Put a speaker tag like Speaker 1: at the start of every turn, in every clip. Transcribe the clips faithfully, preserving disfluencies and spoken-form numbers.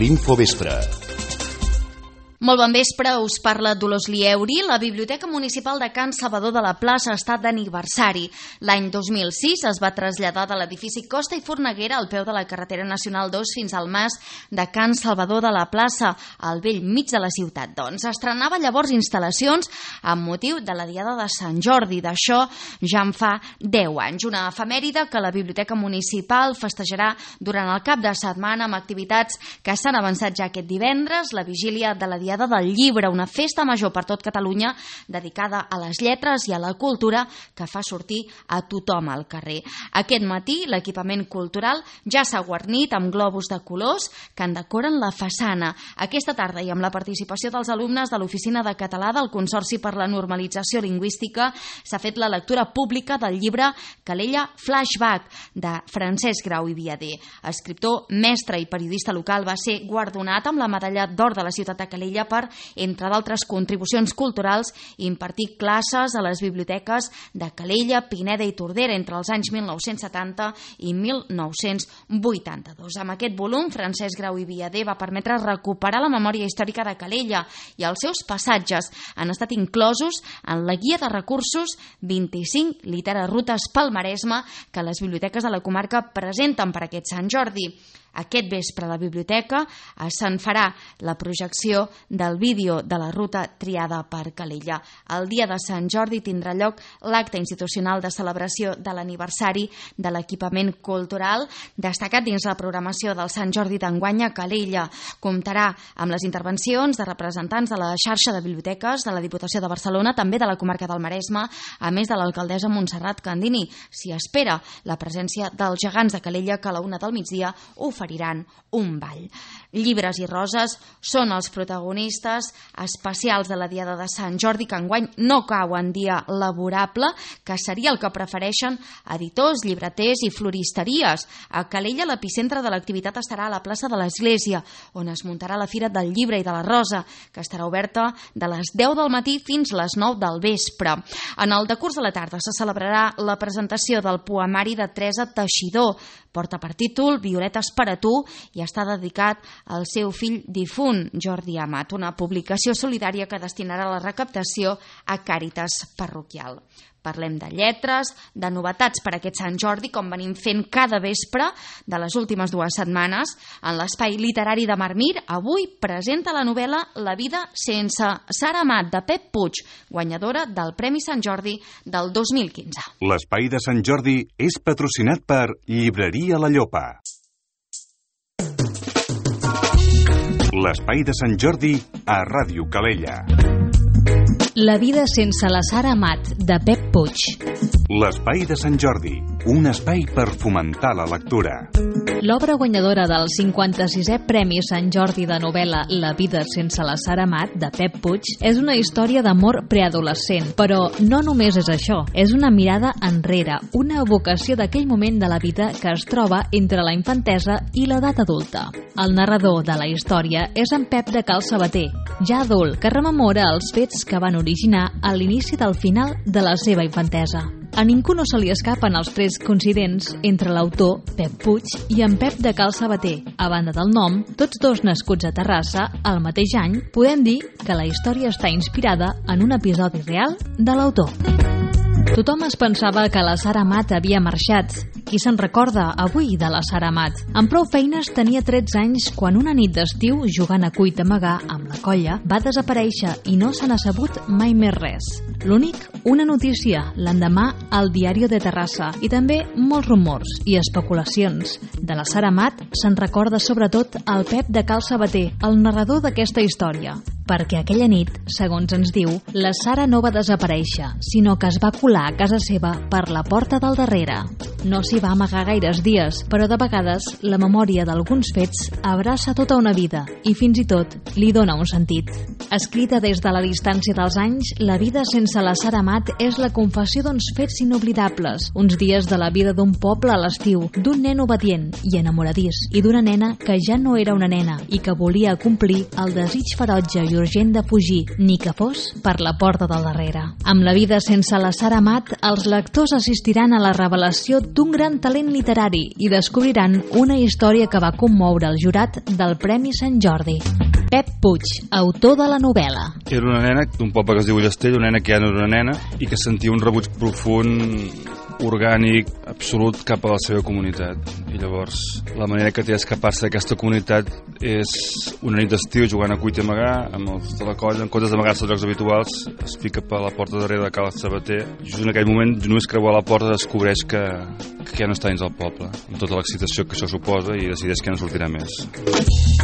Speaker 1: l'Infovespre.
Speaker 2: Molt bon vespre, us parla Dolors Lieuri. La Biblioteca Municipal de Can Salvador de la Plaça està d'aniversari. L'any dos mil sis es va traslladar de l'edifici Costa i Forneguera al peu de la carretera nacional dos fins al mas de Can Salvador de la Plaça, al bell mig de la ciutat. Doncs estrenava llavors instal·lacions amb motiu de la Diada de Sant Jordi. D'això ja en fa deu anys. Una efemèride que la Biblioteca Municipal festejarà durant el cap de setmana amb activitats que s'han avançat ja aquest divendres, la vigília de la Diada del Llibre, una festa major per tot Catalunya dedicada a les lletres i a la cultura que fa sortir a tothom al carrer. Aquest matí l'equipament cultural ja s'ha guarnit amb globus de colors que en decoren la façana. Aquesta tarda i amb la participació dels alumnes de l'Oficina de Català del Consorci per la Normalització Lingüística s'ha fet la lectura pública del llibre Calella Flashback de Francesc Grau i Viader. Escriptor, mestre i periodista local, va ser guardonat amb la medalla d'or de la ciutat de Calella per, entre d'altres contribucions culturals, impartir classes a les biblioteques de Calella, Pineda i Tordera entre els anys mil nou-cents setanta i mil nou-cents vuitanta-dos. Amb aquest volum, Francesc Grau i Viader va permetre recuperar la memòria històrica de Calella i els seus passatges han estat inclosos en la guia de recursos vint-i-cinc literarutes pel Maresme que les biblioteques de la comarca presenten per aquest Sant Jordi. Aquest vespre a la biblioteca se'n farà la projecció del vídeo de la ruta triada per Calella. El dia de Sant Jordi tindrà lloc l'acte institucional de celebració de l'aniversari de l'equipament cultural, destacat dins la programació del Sant Jordi d'enguany a Calella. Comptarà amb les intervencions de representants de la xarxa de biblioteques de la Diputació de Barcelona, també de la comarca del Maresme, a més de l'alcaldessa Montserrat Candini. S'hi espera la presència dels gegants de Calella que a la una del migdia oferiran un ball. Llibres i roses són els protagonistes especials de la Diada de Sant Jordi, que enguany no cau en dia laborable, que seria el que prefereixen editors, llibreters i floristeries. A Calella l'epicentre de l'activitat estarà a la plaça de l'Església, on es muntarà la Fira del Llibre i de la Rosa, que estarà oberta de les deu del matí fins les nou del vespre. En el decurs de la tarda se celebrarà la presentació del poemari de Teresa Teixidor. Porta per títol Violetes per a tu i està dedicat al seu fill difunt, Jordi Amat, una publicació solidària que destinarà la recaptació a Càritas Parroquial. Parlem de lletres, de novetats per aquest Sant Jordi, com venim fent cada vespre de les últimes dues setmanes. En l'Espai Literari de Marmir, avui presenta la novel·la La vida sense Sara Amat, de Pep Puig, guanyadora del Premi Sant Jordi del dos mil quinze.
Speaker 3: L'Espai de Sant Jordi és patrocinat per Llibreria La Llopa. L'Espai de Sant Jordi a Ràdio Calella.
Speaker 4: La vida sense la Sara Amat, de Pep Puig.
Speaker 3: L'Espai de Sant Jordi, un espai per fomentar la lectura.
Speaker 4: L'obra guanyadora del cinquanta-sisè Premi Sant Jordi de novel·la La vida sense la Sara Amat, de Pep Puig, és una història d'amor preadolescent, però no només és això, és una mirada enrere, una evocació d'aquell moment de la vida que es troba entre la infantesa i l'edat adulta. El narrador de la història és en Pep de Cal Sabater, ja adult, que rememora els fets que van originar a l'inici del final de la seva infantesa. A ningú no se li escapen els trets coincidents entre l'autor, Pep Puig, i en Pep de Cal Sabater. A banda del nom, tots dos nascuts a Terrassa, el mateix any, podem dir que la història està inspirada en un episodi real de l'autor. Tothom es pensava que la Sara Amat havia marxat. Qui se'n recorda avui de la Sara Amat? Amb prou feines tenia tretze anys quan una nit d'estiu, jugant a cuit amagà amb la colla, va desaparèixer i no se n'ha sabut mai més res. L'únic, una notícia, l'endemà al Diario de Terrassa, i també molts rumors i especulacions. De la Sara Amat se'n recorda sobretot el Pep de Cal Sabater, el narrador d'aquesta història. Perquè aquella nit, segons ens diu, la Sara no va desaparèixer, sinó que es va colar a casa seva per la porta del darrere. No s'hi va amagar gaires dies, però de vegades la memòria d'alguns fets abraça tota una vida i fins i tot li dona un sentit. Escrita des de la distància dels anys, La vida sense la Sara Amat és la confessió d'uns fets inoblidables, uns dies de la vida d'un poble a l'estiu, d'un nen obedient i enamoradís, i d'una nena que ja no era una nena i que volia complir el desig ferotge i urgent de fugir, ni que fos per la porta del darrere. Amb La vida sense la Sara Amat, els lectors assistiran a la revelació d'un gran talent literari i descobriran una història que va commoure el jurat del Premi Sant Jordi. Pep Puig, autor de la novel·la.
Speaker 1: Era una nena d'un poble que es diu Llastell, una nena que ja no era una nena i que sentia un rebuig profund, orgànic, absolut cap a la seva comunitat. I llavors la manera que té d'escapar-se d'aquesta comunitat és una nit d'estiu jugant a cuita i amagar amb els de la colla, en comptes d'amagar-se als llocs habituals es pica per la porta darrere de Cal Sabater. Just en aquell moment, només creuar la porta, descobreix que, que ja no està dins del poble, amb tota l'excitació que això suposa, i decideix que no sortirà més.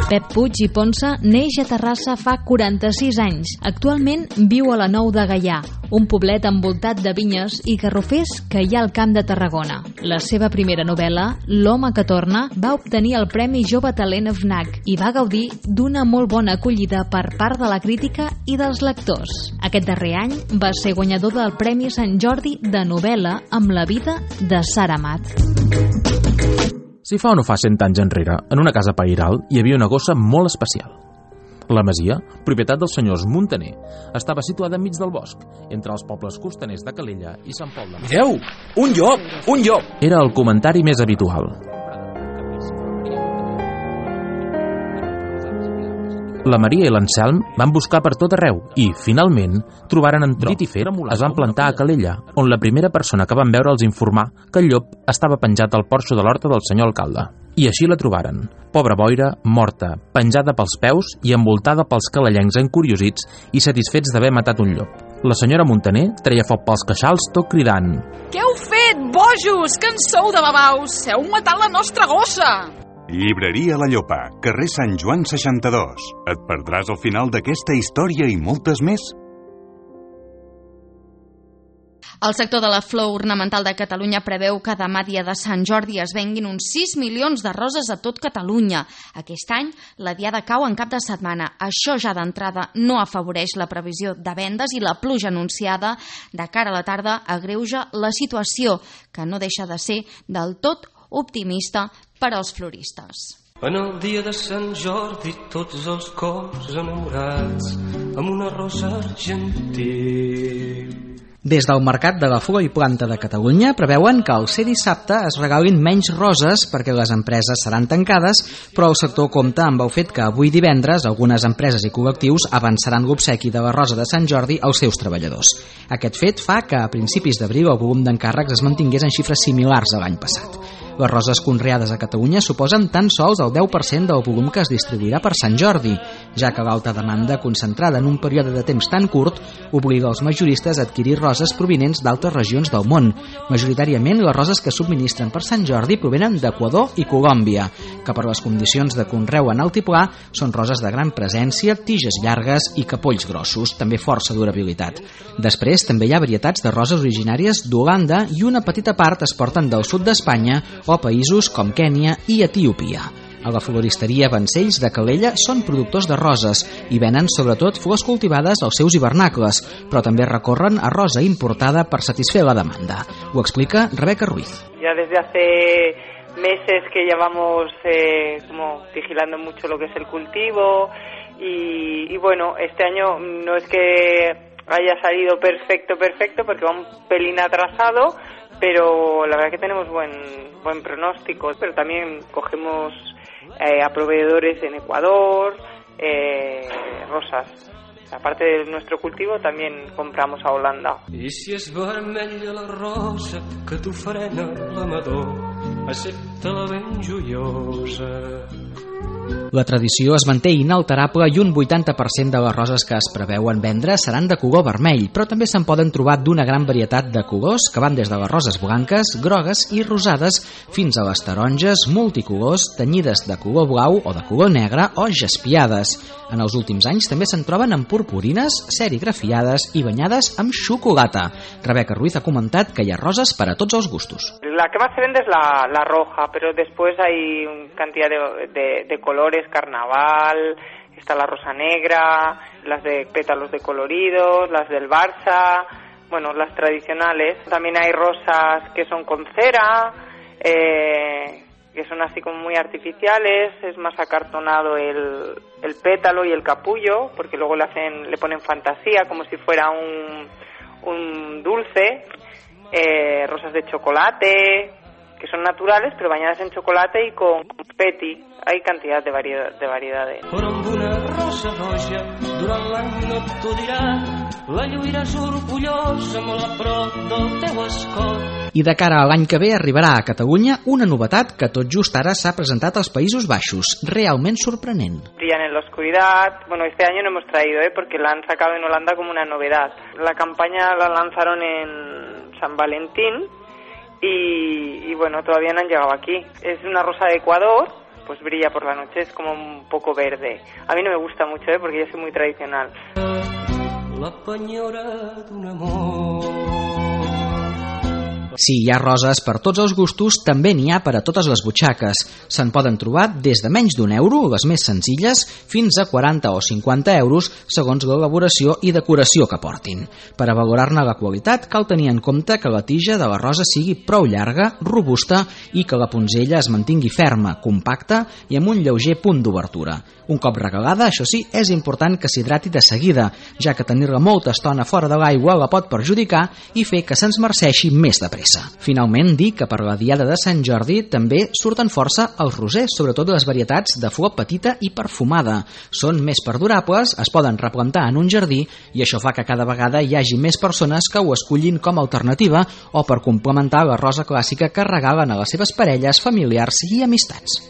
Speaker 4: Pep Puig i Ponsa neix a Terrassa fa quaranta-sis anys. Actualment viu a la Nou de Gaià, un poblet envoltat de vinyes i garrofers que hi ha al Camp de Tarragona. La seva primera novel·la, L'home que torna, va obtenir el Premi Jove Talent F N A C i va gaudir d'una molt bona acollida per part de la crítica i dels lectors. Aquest darrer any va ser guanyador del Premi Sant Jordi de novel·la amb La vida de Sara Amat.
Speaker 5: Si fa o no fa cent anys enrere, en una casa pairal hi havia una gossa molt especial. La masia, propietat dels senyors Muntaner, estava situada enmig del bosc, entre els pobles costaners de Calella i Sant Pol de Mar.
Speaker 6: Mireu! Un llop! Un llop!
Speaker 5: Era el comentari més habitual. La Maria i l'Anselm van buscar per tot arreu i, finalment, trobaren en Trit i Fet, es van plantar a Calella, on la primera persona que van veure els informà que el llop estava penjat al porxo de l'horta del senyor alcalde. I així la trobaren, pobra boira, morta, penjada pels peus i envoltada pels calellencs encuriosits i satisfets d'haver matat un llop. La senyora Muntaner treia foc pels queixals tot cridant:
Speaker 7: Què heu fet, bojos? Que en sou de babaus? Heu matat la nostra gossa!
Speaker 3: Llibreria La Llopa, carrer Sant Joan seixanta-dos. Et perdràs al final d'aquesta història i moltes més?
Speaker 2: El sector de la flor ornamental de Catalunya preveu que demà, dia de Sant Jordi, es venguin uns sis milions de roses a tot Catalunya. Aquest any, la diada cau en cap de setmana. Això ja d'entrada no afavoreix la previsió de vendes i la pluja anunciada de cara a la tarda agreuja la situació, que no deixa de ser del tot optimista per als floristes.
Speaker 8: En el dia de Sant Jordi tots els cors enamorats amb una rosa argentil.
Speaker 9: Des del Mercat de la Flor i Planta de Catalunya preveuen que al ser dissabte es regalin menys roses perquè les empreses seran tancades, però el sector compta amb el fet que avui divendres algunes empreses i col·lectius avançaran l'obsequi de la rosa de Sant Jordi als seus treballadors. Aquest fet fa que a principis d'abril el volum d'encàrrecs es mantingués en xifres similars a l'any passat. Les roses conreades a Catalunya suposen tan sols el deu per cent del volum que es distribuirà per Sant Jordi, ja que l'alta demanda concentrada en un període de temps tan curt obliga els majoristes a adquirir roses provinents d'altres regions del món. Majoritàriament, les roses que subministren per Sant Jordi provenen d'Equador i Colòmbia, que per les condicions de conreu en altiplà són roses de gran presència, tiges llargues i capolls grossos, també força durabilitat. Després, també hi ha varietats de roses originàries d'Holanda i una petita part es porten del sud d'Espanya o països com Kènia i Etiòpia. A la floristeria Vancells de Calella són productors de roses i venen sobretot flors cultivades als seus hivernacles, però també recorren a rosa importada per satisfer la demanda. Ho explica Rebeca Ruiz.
Speaker 10: Ya desde hace meses que llevamos eh, como vigilando mucho lo que es el cultivo y, y bueno, este año no es que haya salido perfecto, perfecto, porque va un pelín atrasado, pero la verdad que tenemos buen buen pronóstico, pero también cogemos eh, a proveedores en Ecuador, eh, rosas. Aparte de nuestro cultivo, también compramos a Holanda.
Speaker 8: I si és vermella la rosa que t'ofrena l'amador, accepta-la ben joiosa.
Speaker 9: La tradició es manté inalterable i un vuitanta per cent de les roses que es preveuen vendre seran de color vermell, però també se'n poden trobar d'una gran varietat de colors que van des de les roses blanques, grogues i rosades fins a les taronges multicolors tenyides de color blau o de color negre o jaspiades. En els últims anys també se'n troben amb purpurines, serigrafiades i banyades amb xocolata. Rebeca Ruiz ha comentat que hi ha roses per a tots els gustos.
Speaker 10: La que más se vende es la, la roja, pero después hay una cantidad de, de, de colores, carnaval, está la rosa negra, las de pétalos decoloridos, las del Barça, bueno, las tradicionales. También hay rosas que son con cera, eh, que son así como muy artificiales, es más acartonado el, el pétalo y el capullo, porque luego le hacen, le ponen fantasía como si fuera un, un dulce, eh, rosas de chocolate, que son naturales pero bañadas en chocolate y con confeti. Hay cantidad de, variedad, de variedades.
Speaker 8: Però amb una rosa roja durant l'any no t'ho dirà, la lluiràs orgullosa molt a prop del teu escot.
Speaker 9: I de cara a l'any que ve arribarà a Catalunya una novetat que tot just ara s'ha presentat als Països Baixos, realment sorprenent.
Speaker 10: Brillan en la oscuridad. Bueno, este año no hemos traído, ¿eh? Porque la han sacado en Holanda como una novedad. La campaña la lanzaron en San Valentín y, y bueno, todavía no han llegado aquí. Es una rosa de Ecuador, pues brilla por la noche, es como un poco verde. A mí no me gusta mucho, ¿eh? Porque yo soy muy tradicional.
Speaker 8: La penyora d'un amor.
Speaker 9: Si hi ha roses per tots els gustos, també n'hi ha per a totes les butxaques. Se'n poden trobar des de menys d'un euro, les més senzilles, fins a quaranta o cinquanta euros, segons l'elaboració i decoració que portin. Per a valorar-ne la qualitat, cal tenir en compte que la tija de la rosa sigui prou llarga, robusta i que la punzella es mantingui ferma, compacta i amb un lleuger punt d'obertura. Un cop regalada, això sí, és important que s'hidrati de seguida, ja que tenir-la molta estona fora de l'aigua la pot perjudicar i fer que se'ns marceixi més de pressa. Finalment, dir que per la diada de Sant Jordi també surten força els rosers, sobretot les varietats de flor petita i perfumada. Són més perdurables, es poden replantar en un jardí i això fa que cada vegada hi hagi més persones que ho escollin com a alternativa o per complementar la rosa clàssica que regalen a les seves parelles, familiars i amistats.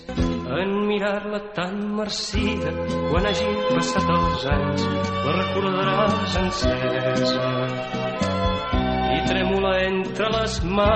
Speaker 8: En mirar-la tan marcida, quan hagin passat els anys, la recordaràs encesa i trèmola entre les mans.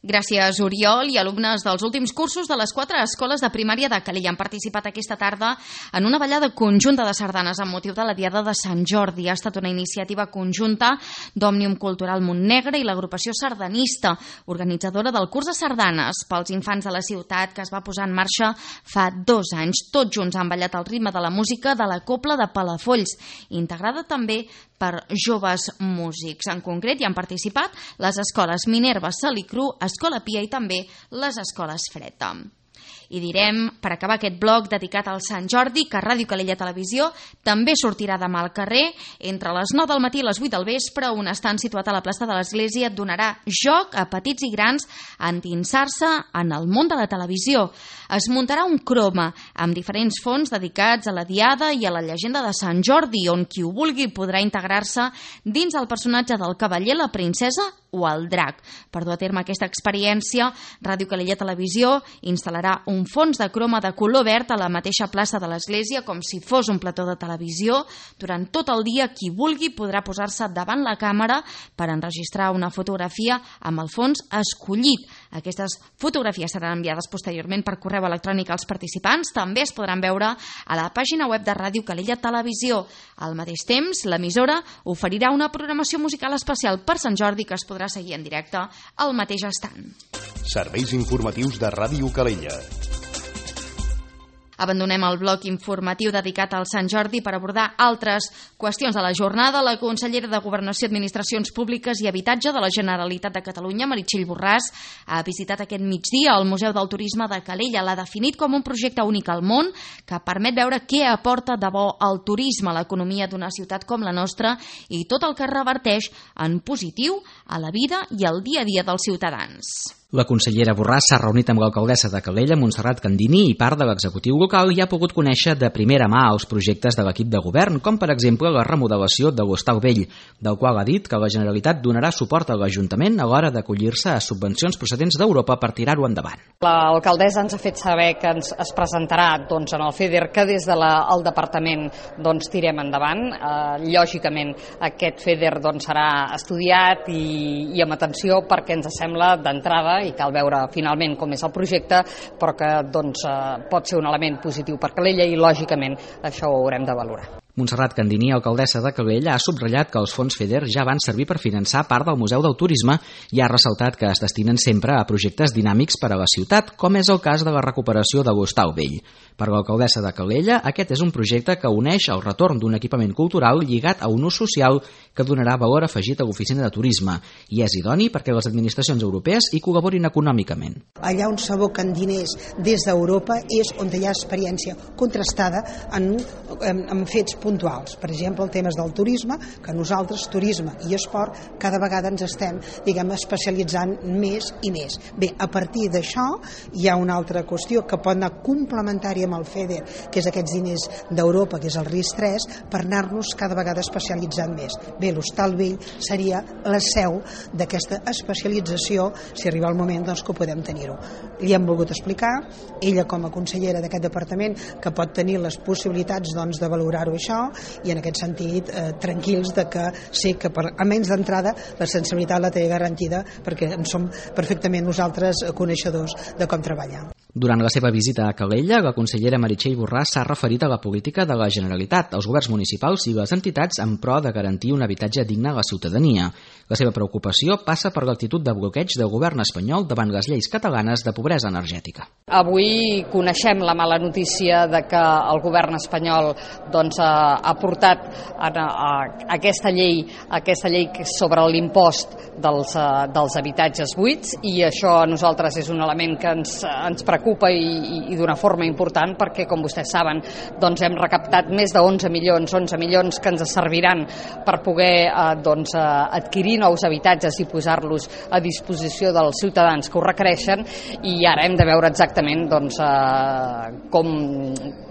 Speaker 2: Gràcies, Oriol, i alumnes dels últims cursos de les quatre escoles de primària de Calella han participat aquesta tarda en una ballada conjunta de sardanes amb motiu de la Diada de Sant Jordi. Ha estat una iniciativa conjunta d'Òmnium Cultural Montnegre i l'agrupació sardanista, organitzadora del curs de sardanes pels infants de la ciutat, que es va posar en marxa fa dos anys. Tots junts han ballat al ritme de la música de la Cobla de Palafolls, integrada també per joves músics. En concret hi han participat les escoles Minerva, Salicru, Escola Pia i també les escoles Freta. I direm, per acabar aquest bloc dedicat al Sant Jordi, que Ràdio Calella Televisió també sortirà demà al carrer. Entre les nou del matí i les vuit del vespre, un estant situat a la plaça de l'Església donarà joc a petits i grans a endinsar-se en el món de la televisió. Es muntarà un croma amb diferents fons dedicats a la Diada i a la llegenda de Sant Jordi, on qui ho vulgui podrà integrar-se dins el personatge del cavaller, la princesa o el drac. Per dur a terme aquesta experiència, Ràdio Calella Televisió instal·larà un fons de croma de color verd a la mateixa plaça de l'Església, com si fos un plató de televisió. Durant tot el dia, qui vulgui podrà posar-se davant la càmera per enregistrar una fotografia amb el fons escollit. Aquestes fotografies seran enviades posteriorment per correu electrònic als participants. També es podran veure a la pàgina web de Ràdio Calella Televisió. Al mateix temps, l'emissora oferirà una programació musical especial per Sant Jordi que es podrà seguir en directe al mateix estant.
Speaker 11: Serveis informatius de Ràdio Calella.
Speaker 2: Abandonem el bloc informatiu dedicat al Sant Jordi per abordar altres qüestions de la jornada. La consellera de Governació, Administracions Públiques i Habitatge de la Generalitat de Catalunya, Meritxell Borràs, ha visitat aquest migdia el Museu del Turisme de Calella. L'ha definit com un projecte únic al món que permet veure què aporta de bo el turisme a l'economia d'una ciutat com la nostra i tot el que reverteix en positiu a la vida i al dia a dia dels ciutadans.
Speaker 9: La consellera Borràs s'ha reunit amb l'alcaldessa de Calella, Montserrat Candini, i part de l'executiu local i ha pogut conèixer de primera mà els projectes de l'equip de govern, com per exemple la remodelació de l'Hostal Vell, del qual ha dit que la Generalitat donarà suport a l'Ajuntament a l'hora d'acollir-se a subvencions procedents d'Europa per tirar-ho endavant.
Speaker 12: L'alcaldessa ens ha fet saber que ens es presentarà doncs, en el FEDER que des del de departament doncs, tirem endavant. Eh, lògicament aquest FEDER doncs, serà estudiat i, i amb atenció perquè ens sembla d'entrada i cal veure finalment com és el projecte, però que doncs, eh, pot ser un element positiu per Calella i lògicament això ho haurem de valorar.
Speaker 9: Montserrat Candini, alcaldessa de Calella, ha subratllat que els fons FEDER ja van servir per finançar part del Museu del Turisme i ha ressaltat que es destinen sempre a projectes dinàmics per a la ciutat, com és el cas de la recuperació de l'Hostal Vell. Per l'alcaldessa de Calella, aquest és un projecte que uneix el retorn d'un equipament cultural lligat a un ús social que donarà valor afegit a l'oficina de turisme i és idoni perquè les administracions europees hi col·laborin econòmicament.
Speaker 13: Allà on s'aboquen diners des d'Europa és on hi ha experiència contrastada en, en, en fets puntuals. Per exemple, el tema del turisme, que nosaltres, turisme i esport, cada vegada ens estem, diguem, especialitzant més i més. Bé, a partir d'això hi ha una altra qüestió que pot anar complementària amb el FEDER, que és aquests diners d'Europa, que és el RIS tres, per anar-nos cada vegada especialitzant més. Bé, l'Hostal Vell seria la seu d'aquesta especialització, si arriba el moment doncs, que ho podem tenir-ho. Li hem volgut explicar, ella com a consellera d'aquest departament, que pot tenir les possibilitats doncs, de valorar-ho això, i en aquest sentit eh, tranquils de que sé que per, almenys d'entrada la sensibilitat la té garantida perquè en som perfectament nosaltres coneixedors de com treballar.
Speaker 9: Durant la seva visita a Calella, la consellera Meritxell Borràs s'ha referit a la política de la Generalitat, als governs municipals i les entitats en pro de garantir un habitatge digne a la ciutadania. La seva preocupació passa per l'actitud de bloqueig del govern espanyol davant les lleis catalanes de pobresa energètica.
Speaker 12: Avui coneixem la mala notícia de que el govern espanyol doncs, ha, ha portat a, a, a aquesta llei aquesta llei sobre l'impost dels, uh, dels habitatges buits, i això a nosaltres és un element que ens, ens preocupa i, i, i d'una forma important perquè, com vostès saben, doncs hem recaptat més de onze milions, onze milions que ens serviran per poder uh, doncs, uh, adquirir nous habitatges i posar-los a disposició dels ciutadans que ho requereixen, i ara hem de veure exactament doncs, uh, com,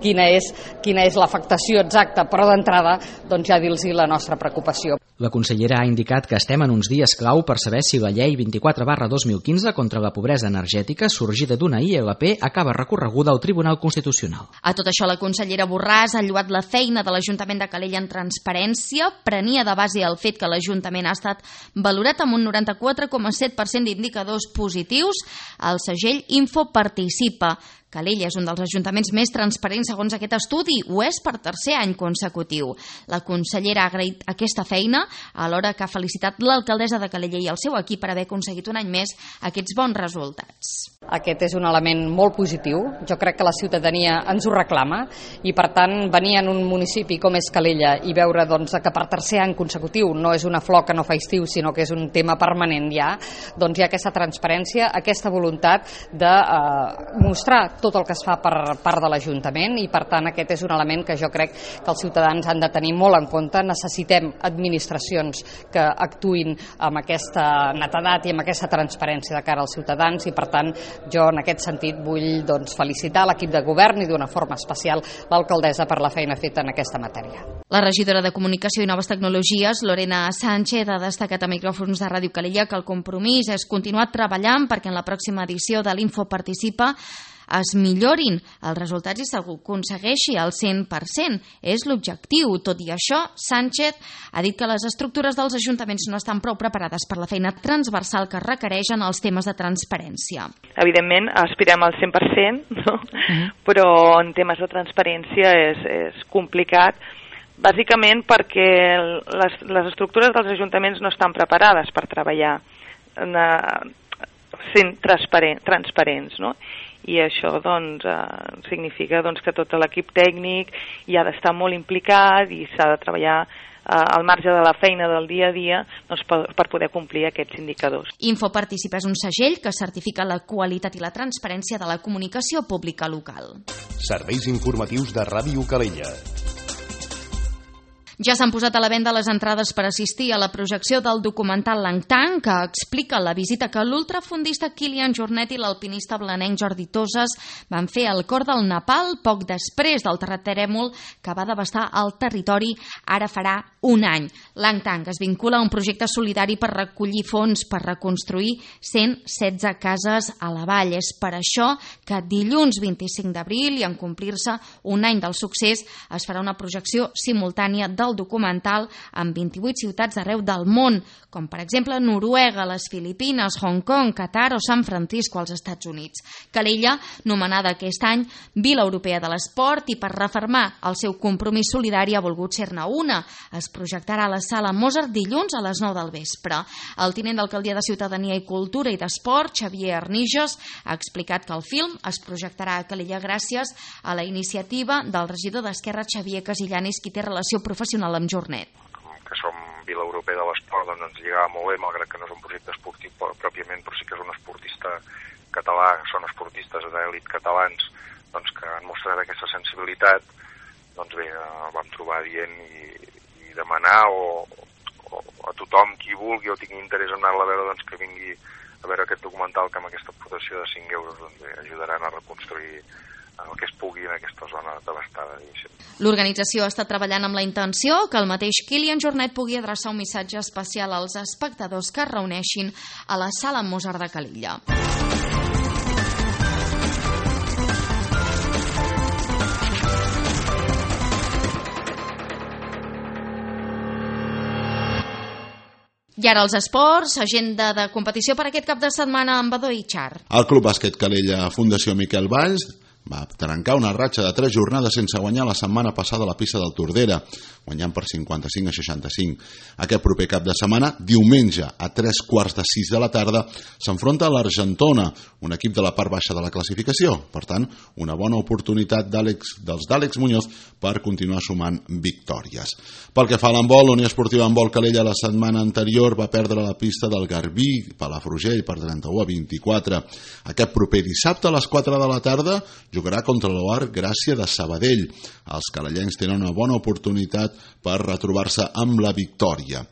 Speaker 12: quina és, quina és l'afectació exacta, però d'entrada doncs, ja dir-los la nostra preocupació.
Speaker 9: La consellera ha indicat que estem en uns dies clau per saber si la llei vint-i-quatre barra dos mil quinze contra la pobresa energètica, sorgida d'una I L P, acaba recorreguda al Tribunal Constitucional.
Speaker 2: A tot això, la consellera Borràs ha lloat la feina de l'Ajuntament de Calella en transparència, prenia de base el fet que l'Ajuntament ha estat valorat amb un noranta-quatre coma set per cent d'indicadors positius al segell Info Participa. Calella és un dels ajuntaments més transparents segons aquest estudi, ho és per tercer any consecutiu. La consellera ha agraït aquesta feina, alhora que ha felicitat l'alcaldessa de Calella i el seu equip per haver aconseguit un any més aquests bons resultats.
Speaker 12: Aquest és un element molt positiu, jo crec que la ciutadania ens ho reclama, i per tant venir en un municipi com és Calella i veure doncs, que per tercer any consecutiu no és una flor que no fa estiu, sinó que és un tema permanent ja, doncs hi ha aquesta transparència, aquesta voluntat de eh, mostrar tot el que es fa per part de l'Ajuntament, i per tant aquest és un element que jo crec que els ciutadans han de tenir molt en compte. Necessitem administracions que actuïn amb aquesta netedat i amb aquesta transparència de cara als ciutadans, i per tant jo en aquest sentit vull doncs, felicitar l'equip de govern i d'una forma especial l'alcaldessa per la feina feta en aquesta matèria.
Speaker 2: La regidora de Comunicació i Noves Tecnologies, Lorena Sánchez, ha destacat a micròfons de Ràdio Calella que el compromís és continuar treballant perquè en la pròxima edició de l'Info Participa es millorin els resultats i s'aconsegueixi al cent per cent. És l'objectiu. Tot i això, Sánchez ha dit que les estructures dels ajuntaments no estan prou preparades per la feina transversal que requereixen els temes de transparència.
Speaker 10: Evidentment, aspirem al cent per cent, no? Uh-huh. Però en temes de transparència és, és complicat, bàsicament perquè les, les estructures dels ajuntaments no estan preparades per treballar eh, sent transparent, transparents, no? I això doncs, eh, significa doncs, que tot l'equip tècnic hi ha d'estar molt implicat i s'ha de treballar eh, al marge de la feina del dia a dia doncs, per, per poder complir aquests indicadors.
Speaker 2: Info Participa és un segell que certifica la qualitat i la transparència de la comunicació pública local.
Speaker 11: Serveis informatius de Ràdio Calella.
Speaker 2: Ja s'han posat a la venda les entrades per assistir a la projecció del documental Langtang, que explica la visita que l'ultrafondista Kilian Jornet i l'alpinista blanenc Jordi Toses van fer al cor del Nepal poc després del terratrèmol que va devastar el territori ara farà un any. Langtang es vincula a un projecte solidari per recollir fons per reconstruir cent setze cases a la vall. És per això que dilluns vint-i-cinc d'abril, i en complir-se un any del succés, es farà una projecció simultània del documental en vint-i-vuit ciutats d'arreu del món, com per exemple Noruega, les Filipines, Hong Kong, Qatar o San Francisco als Estats Units. Calella, nomenada aquest any Vila Europea de l'Esport, i per refermar el seu compromís solidari ha volgut ser-ne una. Es projectarà a la sala Mozart dilluns a les nou del vespre. El tinent d'alcaldia de Ciutadania i Cultura i d'Esport, Xavier Arnijos, ha explicat que el film es projectarà a Calella gràcies a la iniciativa del regidor d'Esquerra Xavier Casillanis, qui té relació professional amb Jornet.
Speaker 14: Que som Vila Europea paper de l'esport doncs, ens lligava molt bé, malgrat que no és un projecte esportiu pròpiament, però sí que és un esportista català, són esportistes d'èlit catalans doncs, que han mostrat aquesta sensibilitat. Doncs bé, el vam trobar dient i, i demanar o, o a tothom qui vulgui o tingui interès en anar-la a veure doncs, que vingui a veure aquest documental, que amb aquesta aportació de cinc euros doncs, bé, ajudaran a reconstruir el que es pugui en aquesta zona devastada.
Speaker 2: L'organització està treballant amb la intenció que el mateix Kilian Jornet pugui adreçar un missatge especial als espectadors que es reuneixin a la Sala Mozart de Calella. I ara els esports, agenda de competició per aquest cap de setmana amb Badó i Char.
Speaker 15: El Club Bàsquet Calella Fundació Miquel Valls va trencar una ratxa de tres jornades sense guanyar la setmana passada a la pista del Tordera, guanyant per cinquanta-cinc a seixanta-cinc. Aquest proper cap de setmana, diumenge a tres quarts de sis de la tarda, s'enfronta a l'Argentona, un equip de la part baixa de la classificació. Per tant, una bona oportunitat d'Àlex, dels d'Àlex Muñoz per continuar sumant victòries. Pel que fa a l'handbol, la Unió Esportiva Handbol Calella la setmana anterior va perdre la pista del Garbí, Palafrugell, per trenta-u a vint-i-quatre. Aquest proper dissabte a les quatre de la tarda jugarà contra l'O A R Gràcia de Sabadell. Els calellencs tenen una bona oportunitat per retrobar-se amb la victòria.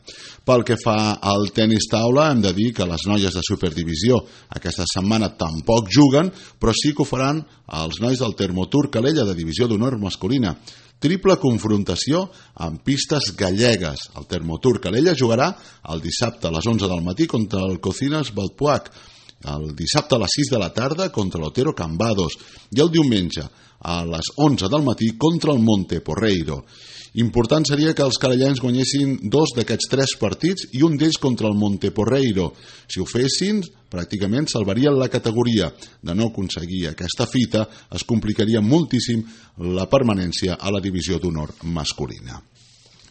Speaker 15: Pel que fa al tenis taula, hem de dir que les noies de Superdivisió aquesta setmana tampoc juguen, però sí que ho faran els nois del Termotur Calella de Divisió d'Honor masculina. Triple confrontació amb pistes gallegues. El Termotur Calella jugarà el dissabte a les onze del matí contra el Cocinas Balpuac, el dissabte a les sis de la tarda contra l'Otero Cambados i el diumenge a les onze del matí contra el Monte Porreiro. Important seria que els calellans guanyessin dos d'aquests tres partits i un d'ells contra el Monte Porreiro. Si ho fessin, pràcticament salvarien la categoria. De no aconseguir aquesta fita, es complicaria moltíssim la permanència a la divisió d'honor masculina.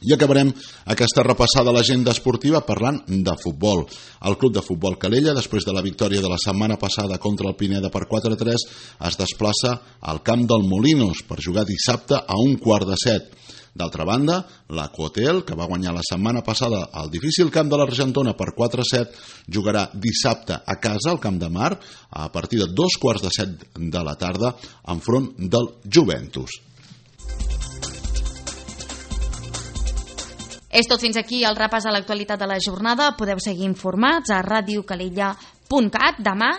Speaker 15: I acabarem aquesta repassada a l'agenda esportiva parlant de futbol. El Club de Futbol Calella, després de la victòria de la setmana passada contra el Pineda per quatre a tres, es desplaça al camp del Molinos per jugar dissabte a un quart de set. D'altra banda, la Cotel, que va guanyar la setmana passada al difícil camp de l'Argentona per quatre a set, jugarà dissabte a casa, al Camp de Mar, a partir de dos quarts de set de la tarda, enfront del Juventus.
Speaker 2: És tot fins aquí el repàs a l'actualitat de la jornada. Podeu seguir informats a ràdio calella punt cat. Demà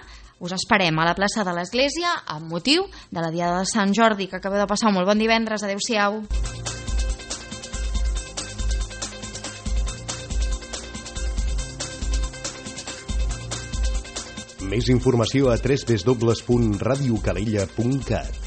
Speaker 2: us esperem a la plaça de l'Església amb motiu de la Diada de Sant Jordi, que acabeu de passar un molt bon divendres. Adéu-siau.
Speaker 11: Més informació a w w w punt ràdio calella punt cat.